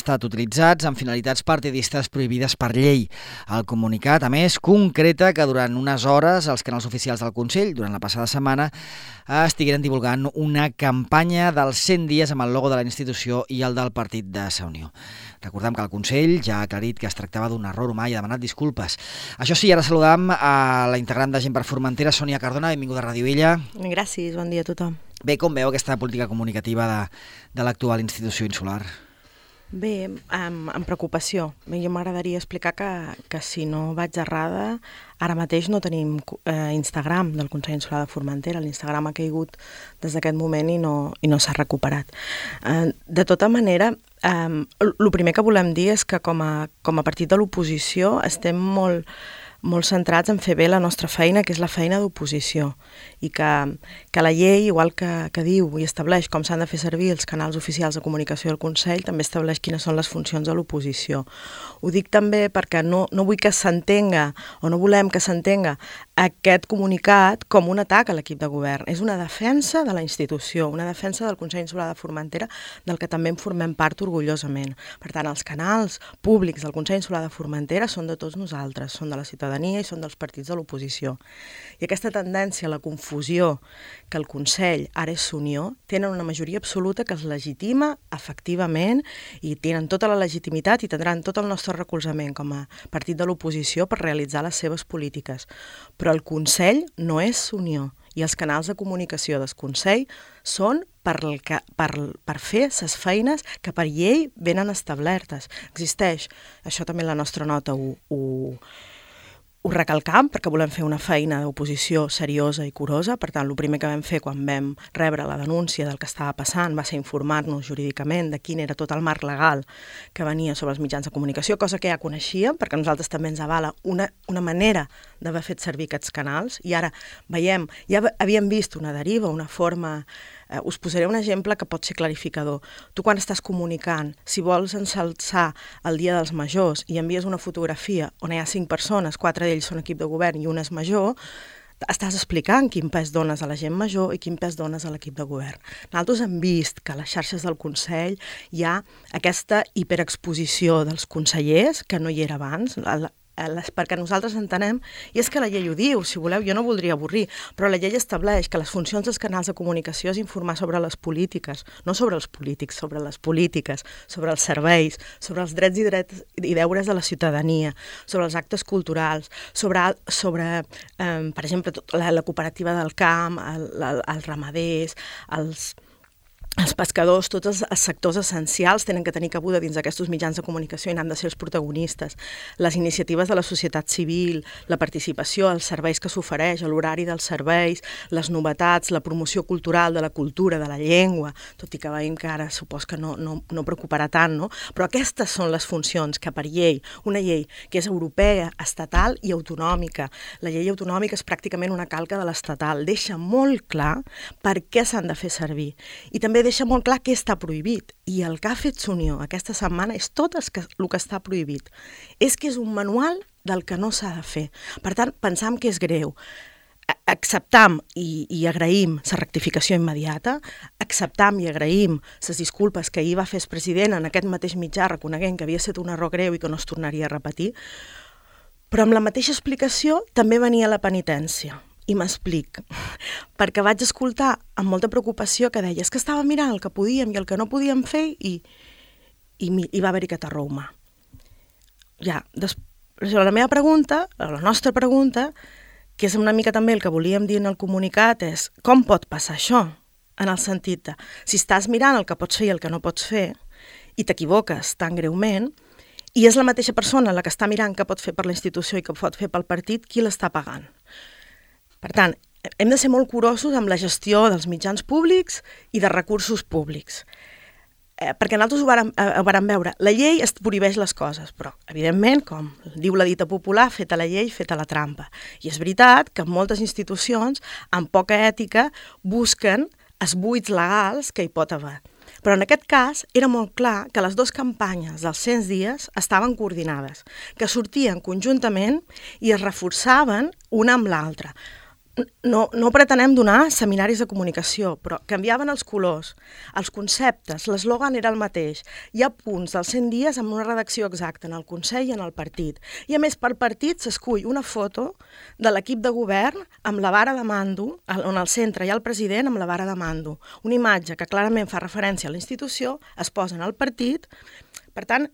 estat utilitzats amb finalitats partidistes prohibides per llei. El comunicat, a més, concreta que durant unes hores els canals oficials del Consell, durant la passada setmana, estigueren divulgant una campanya dels 100 dies amb el logo de la institució i el del partit de Sa Unió. Recordem que el Consell ja ha aclarit que es tractava d'un error humà i ha demanat disculpes. Això sí, ara saludam a la integrant de Gent per Formentera, Sònia Cardona, benvinguda a Ràdio Illa. Gràcies, bon dia a tothom. Bé, com veu aquesta política comunicativa de l'actual institució insular? Bé, amb preocupació. Jo m'agradaria explicar que si no vaig errada, ara mateix no tenim Instagram del Consell Insular de Formentera. L'Instagram ha caigut des d'aquest moment i no s'ha recuperat. De tota manera, el primer que volem dir és que com a partit de l'oposició estem molt centrats en fer bé la nostra feina, que és la feina d'oposició, i que la llei, igual que diu i estableix com s'han de fer servir els canals oficials de comunicació del Consell, també estableix quines són les funcions de l'oposició. Ho dic també perquè no vull que s'entenga, o no volem que s'entenga, aquest comunicat com un atac a l'equip de govern. És una defensa de la institució, una defensa del Consell Insular de Formentera, del que també en formem part orgullosament. Per tant, els canals públics del Consell Insular de Formentera són de tots nosaltres, són de la ciutadania i són dels partits de l'oposició. I aquesta tendència a la confusió que el Consell ara és Sa Unió tenen una majoria absoluta que es legitima efectivament i tenen tota la legitimitat i tindran tot el nostre recolzament com a partit de l'oposició per realitzar les seves polítiques. Però el Consell no és Sa Unió i els canals de comunicació del Consell són per fer les feines que per llei venen establertes. Existeix, això també la nostra nota ho recalcam, perquè volem fer una feina d'oposició seriosa i curosa. Per tant, el primer que vam fer quan vam rebre la denúncia del que estava passant va ser informar-nos jurídicament de quin era tot el marc legal que venia sobre els mitjans de comunicació, cosa que ja coneixíem, perquè a nosaltres també ens avala una manera d'haver fet servir aquests canals, i ara veiem, ja havíem vist una deriva, una forma. Us posaré un exemple que pot ser clarificador. Tu quan estàs comunicant, si vols ensalçar el Dia dels Majors i envies una fotografia on hi ha 5 persones, 4 d'ells són equip de govern i un és major, estàs explicant quin pes dones a la gent major i quin pes dones a l'equip de govern. Nosaltres hem vist que a les xarxes del Consell hi ha aquesta hiperexposició dels consellers, que no hi era abans, perquè nosaltres entenem, i és que la llei ho diu, si voleu, jo no voldria avorrir, però la llei estableix que les funcions dels canals de comunicació és informar sobre les polítiques, no sobre els polítics, sobre les polítiques, sobre els serveis, sobre els drets i deures de la ciutadania, sobre els actes culturals, sobre per exemple, la cooperativa del camp, els ramaders, els pescadors, tots els sectors essencials tenen que tenir cabuda dins d'aquests mitjans de comunicació i n'han de ser els protagonistes. Les iniciatives de la societat civil, la participació, els serveis que s'ofereix, l'horari dels serveis, les novetats, la promoció cultural de la cultura, de la llengua, tot i que veiem que ara supos que no preocuparà tant, no? Però aquestes són les funcions que per llei, una llei que és europea, estatal i autonòmica. La llei autonòmica és pràcticament una calca de l'estatal, deixa molt clar per què s'han de fer servir. I també deixa molt clar què està prohibit. I el que ha fet Sa Unió aquesta setmana és tot el que està prohibit. És que és un manual del que no s'ha de fer. Per tant, pensam que és greu. Acceptam i agraïm la rectificació immediata, acceptam i agraïm les disculpes que ahir va fer el president en aquest mateix mitjà reconeguent que havia estat un error greu i que no es tornaria a repetir, però amb la mateixa explicació també venia la penitència. I m'explic, perquè vaig escoltar amb molta preocupació que deia que estava mirant el que podíem i el que no podíem fer i va haver-hi aquest error humà. Ja, la meva pregunta, la nostra pregunta, que és una mica també el que volíem dir en el comunicat, és com pot passar això? En el sentit de, si estàs mirant el que pots fer i el que no pots fer i t'equivoques tan greument, i és la mateixa persona la que està mirant què pot fer per la institució i què pot fer pel partit, qui l'està pagant? Per tant, hem de ser molt curosos amb la gestió dels mitjans públics i de recursos públics. Perquè nosaltres ho vàrem veure. La llei es prohibeix les coses, però, evidentment, com diu la dita popular, feta la llei, feta la trampa. I és veritat que moltes institucions, amb poca ètica, busquen els buits legals que hi pot haver. Però en aquest cas era molt clar que les dues campanyes dels 100 dies estaven coordinades, que sortien conjuntament i es reforçaven una amb l'altra. no pretenem donar seminaris de comunicació, però canviaven els colors, els conceptes, l'eslògan era el mateix. Hi ha punts dels 100 dies amb una redacció exacta en el Consell i en el partit. I a més, per partit s'escull una foto de l'equip de govern amb la vara de mando, on al centre hi ha el president amb la vara de mando. Una imatge que clarament fa referència a la institució, es posa en el partit. Per tant,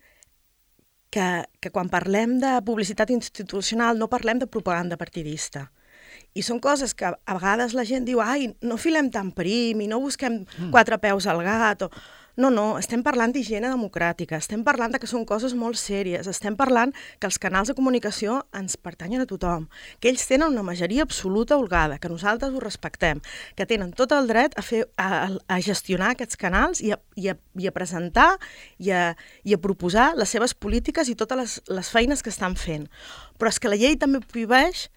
que quan parlem de publicitat institucional no parlem de propaganda partidista. I són coses que a vegades la gent diu ai, no filem tan prim i no busquem quatre peus al gat. No, estem parlant d'higiene democràtica, estem parlant que són coses molt sèries, estem parlant que els canals de comunicació ens pertanyen a tothom, que ells tenen una majoria absoluta holgada, que nosaltres ho respectem, que tenen tot el dret a gestionar aquests canals i a presentar i a proposar les seves polítiques i totes les feines que estan fent. Però és que la llei també prohibeix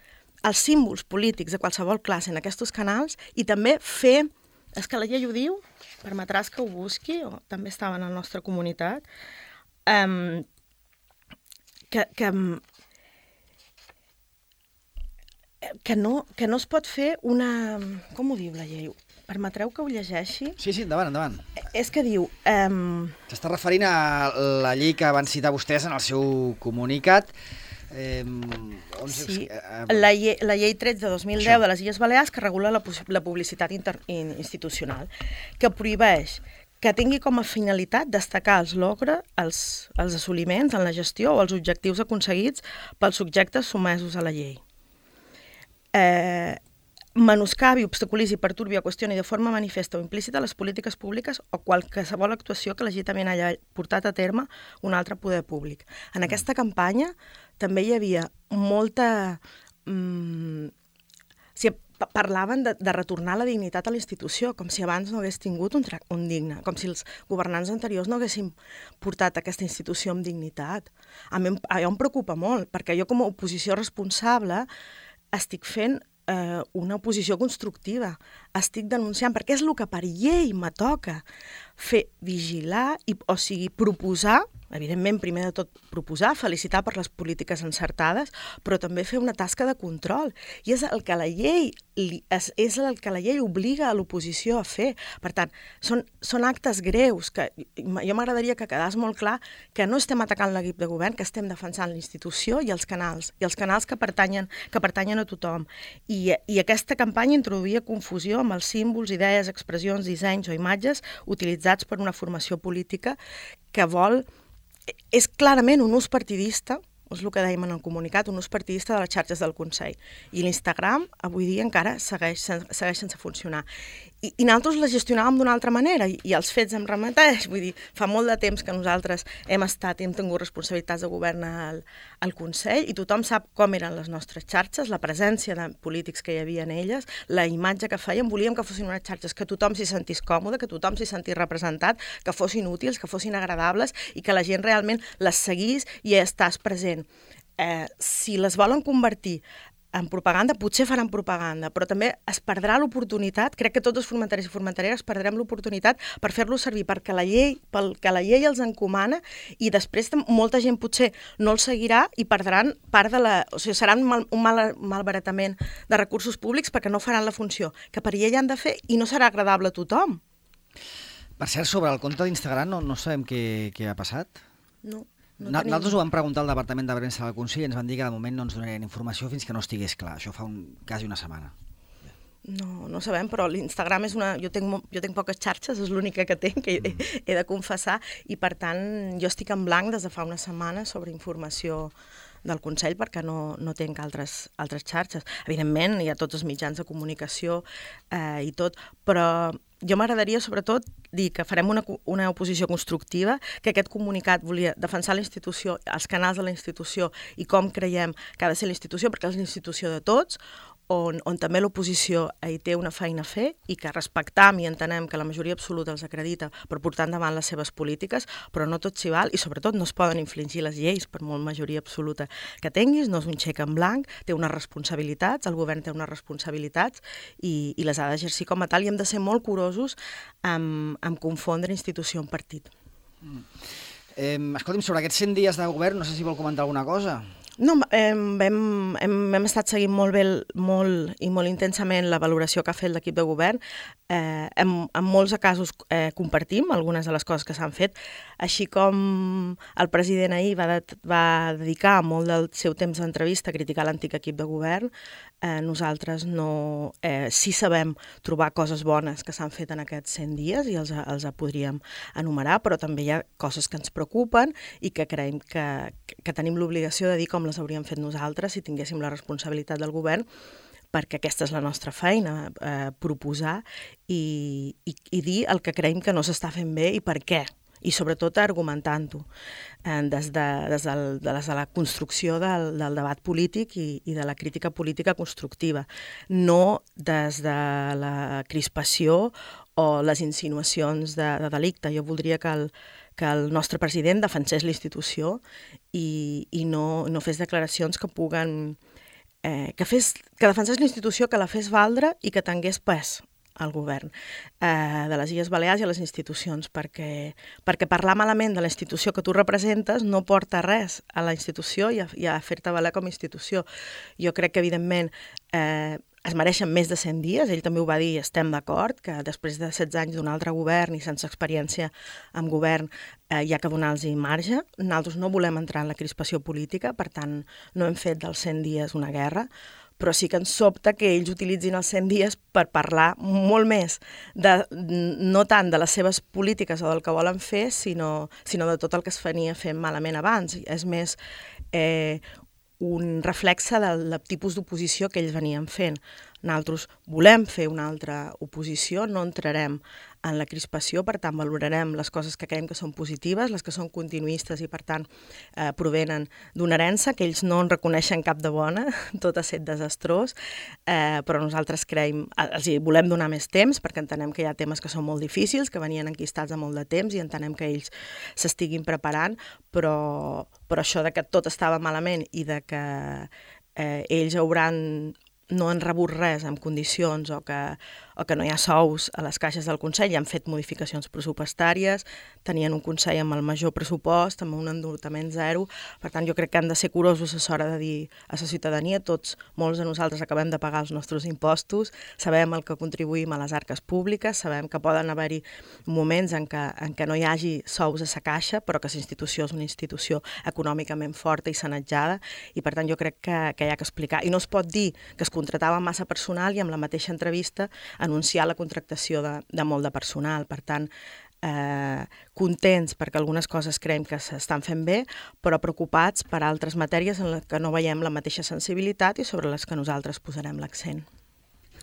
els símbols polítics de qualsevol classe en aquests canals i també fer... És que la llei ho diu, permetràs que ho busqui, o també estava en la nostra comunitat, que no es pot fer una... Com ho diu la llei? Permetreu que ho llegeixi? Sí, endavant. És que diu... S'està referint a la llei que van citar vostès en el seu comunicat. Sí, la llei 13 de 2010 de les Illes Balears que regula la publicitat institucional, que prohibeix que tingui com a finalitat destacar els logres, els assoliments en la gestió o els objectius aconseguits pels subjectes sotmesos a la llei. Menoscabi, obstaculitzi, perturbi o qüestioni de forma manifesta o implícita les polítiques públiques o qualsevol actuació que legítimament hagi portat a terme un altre poder públic. En aquesta campanya també hi havia molta... Parlaven de retornar la dignitat a la institució, com si abans no hagués tingut un digne, com si els governants anteriors no haguessin portat aquesta institució amb dignitat. A mi em preocupa molt, perquè jo com a oposició responsable estic fent una oposició constructiva. Estic denunciant, perquè és el que per llei me toca, fer vigilar, o sigui, proposar, evidentment, primer de tot proposar, felicitar per les polítiques encertades, però també fer una tasca de control. I és el que la llei obliga a l'oposició a fer. Per tant, són actes greus que jo m'agradaria que quedés molt clar que no estem atacant l'equip de govern, que estem defensant la institució i els canals que pertanyen a tothom. I aquesta campanya introduïa confusió amb els símbols, idees, expressions, dissenys o imatges utilitzats per una formació política que vol... És clarament un ús partidista, és el que dèiem en el comunicat, un ús partidista de les xarxes del Consell. I l'Instagram avui dia encara segueix sense funcionar. I nosaltres la gestionàvem d'una altra manera i els fets em remeteix. Vull dir, fa molt de temps que nosaltres hem tingut responsabilitats de govern al Consell i tothom sap com eren les nostres xarxes, la presència de polítics que hi havia en elles, la imatge que feien. Volíem que fossin unes xarxes que tothom s'hi sentís còmode, que tothom s'hi sentís representat, que fossin útils, que fossin agradables i que la gent realment les seguís i estàs present. Si les volen convertir en propaganda, potser faran propaganda, però també es perdrà l'oportunitat, crec que tots els formenteres i formentereres perdrem l'oportunitat per fer-lo servir pel que la llei els encomana i després molta gent potser no el seguirà i perdran part de la... O sigui, serà un malbaratament de recursos públics perquè no faran la funció que per llei han de fer i no serà agradable a tothom. Per cert, sobre el compte d'Instagram no sabem què ha passat? No. Nosaltres ho vam preguntar al Departament de Premsa del Consell i ens van dir que de moment no ens donarien informació fins que no estigués clar. Això fa quasi una setmana. No sabem, però l'Instagram és una... Jo tinc poques xarxes, és l'única que tinc, que he de confessar, i per tant jo estic en blanc des de fa una setmana sobre informació del Consell perquè no tinc altres xarxes. Evidentment, hi ha tots els mitjans de comunicació i tot, però jo m'agradaria, sobretot, dir que farem una oposició constructiva, que aquest comunicat volia defensar la institució, els canals de la institució i com creiem que ha de ser la institució, perquè és la institució de tots, on també l'oposició hi té una feina a fer i que respectam i entenem que la majoria absoluta els acredita per portar endavant les seves polítiques, però no tot s'hi val i sobretot no es poden infligir les lleis per molt majoria absoluta que tinguis, no és un xec en blanc, té unes responsabilitats, el govern té unes responsabilitats i les ha d'exercir com a tal i hem de ser molt curosos amb confondre institució amb partit. Escolti'm, sobre aquests 100 dies de govern, no sé si vol comentar alguna cosa. No, hem estat seguint molt bé, molt i molt intensament la valoració que ha fet l'equip de govern. En molts casos compartim algunes de les coses que s'han fet, així com el president ahir va dedicar molt del seu temps d'entrevista a criticar l'antic equip de govern. Nosaltres sí sabem trobar coses bones que s'han fet en aquests 100 dies i els podríem enumerar, però també hi ha coses que ens preocupen i que creiem que tenim l'obligació de dir com les hauríem fet nosaltres si tinguéssim la responsabilitat del govern, perquè aquesta és la nostra feina, proposar i dir el que creiem que no s'està fent bé i per què, i sobretot argumentant-ho des de la construcció del debat polític i de la crítica política constructiva, no des de la crispació o les insinuacions de delicte. Jo voldria que el nostre president defensés la institució i no fes declaracions que puguen... que defensés la institució, que la fes valdre i que tingués pes al govern de les Illes Balears i a les institucions, perquè parlar malament de la institució que tu representes no porta res a la institució i a fer-te valer com a institució. Jo crec que, evidentment, es mereixen més de 100 dies, ell també ho va dir, estem d'acord, que després de 16 anys d'un altre govern i sense experiència en govern hi ha que donar-los marge. Nosaltres no volem entrar en la crispació política, per tant no hem fet dels 100 dies una guerra, però sí que ens sobta que ells utilitzin els 100 dies per parlar molt més, no tant de les seves polítiques o del que volen fer, sinó de tot el que es venia fent malament abans. És més un reflexe del tipus d'oposició que ells venien fent. Nosaltres volem fer una altra oposició, no entrarem en la crispació, per tant valorarem les coses que creiem que són positives, les que són continuistes i per tant provenen d'una herència que ells no en reconeixen cap de bona, tot ha estat desastrós, però nosaltres creiem, els volem donar més temps perquè entenem que hi ha temes que són molt difícils, que venien enquistats a molt de temps i entenem que ells s'estiguin preparant, però això de que tot estava malament i de que ells no han rebut res en condicions o que no hi ha sous a les caixes del Consell i han fet modificacions pressupostàries, tenien un Consell amb el major pressupost, amb un endeutament zero. Per tant, jo crec que han de ser curosos a l'hora de dir a la ciutadania, molts de nosaltres acabem de pagar els nostres impostos, sabem el que contribuïm a les arques públiques, sabem que poden haver-hi moments en què no hi hagi sous a la caixa, però que la institució és una institució econòmicament forta i sanejada, i per tant jo crec que hi ha que explicar. I no es pot dir que es contratava massa personal i amb la mateixa entrevista anunciar la contractació de molt de personal. Per tant, contents perquè algunes coses creiem que s'estan fent bé, però preocupats per altres matèries en les que no veiem la mateixa sensibilitat i sobre les que nosaltres posarem l'accent.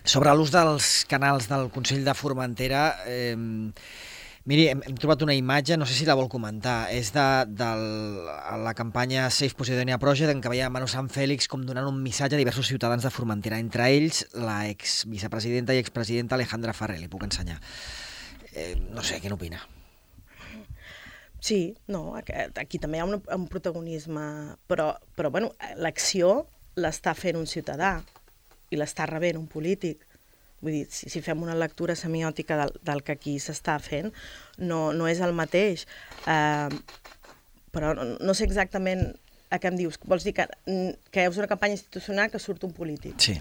Sobre l'ús dels canals del Consell de Formentera, miri, hem trobat una imatge, no sé si la vol comentar, és de la campanya Safe Posidonia Project, en què veia Manu Sant Fèlix com donant un missatge a diversos ciutadans de Formentera, entre ells la exvicepresidenta i expresidenta Alejandra Ferrer, li puc ensenyar. No sé, què n'opina? Sí, no, aquí també hi ha un protagonisme, però bueno, l'acció l'està fent un ciutadà i l'està rebent un polític. Vull dir, si fem una lectura semiòtica del que aquí s'està fent, no és el mateix. Però no sé exactament a què em dius. Vols dir que és una campanya institucional que surt un polític? Sí.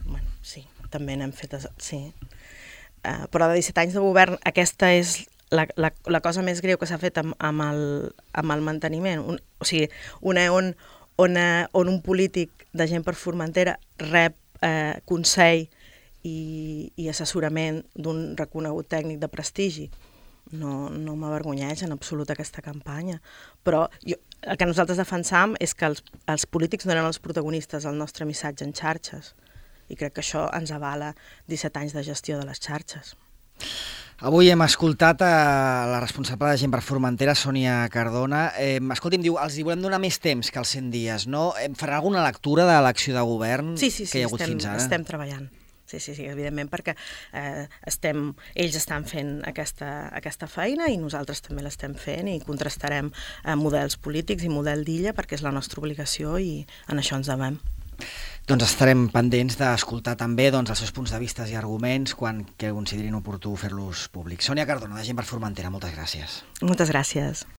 Bueno, sí, també n'hem fet... Sí. Però de 17 anys de govern, aquesta és la cosa més greu que s'ha fet amb el manteniment. O sigui, on un polític de gent per Formentera rep consell i assessorament d'un reconegut tècnic de prestigi. No m'avergonyeix en absolut aquesta campanya. Però el que nosaltres defensam és que els polítics no eren els protagonistes del nostre missatge en xarxes. I crec que això ens avala 17 anys de gestió de les xarxes. Avui hem escoltat la responsable de Gent per Formentera, Sònia Cardona. Escolti'm, diu, els volem donar més temps que els 100 dies, no? Farà alguna lectura de l'acció de govern que hi ha hagut fins ara? Sí, estem treballant. Sí, evidentment, perquè ells estan fent aquesta feina i nosaltres també l'estem fent i contrastarem models polítics i model d'illa perquè és la nostra obligació i en això ens devem. Doncs estarem pendents d'escoltar també els seus punts de vista i arguments quan que considerin oportú fer-los públics. Sònia Cardona, de Gent per Formentera, moltes gràcies. Moltes gràcies.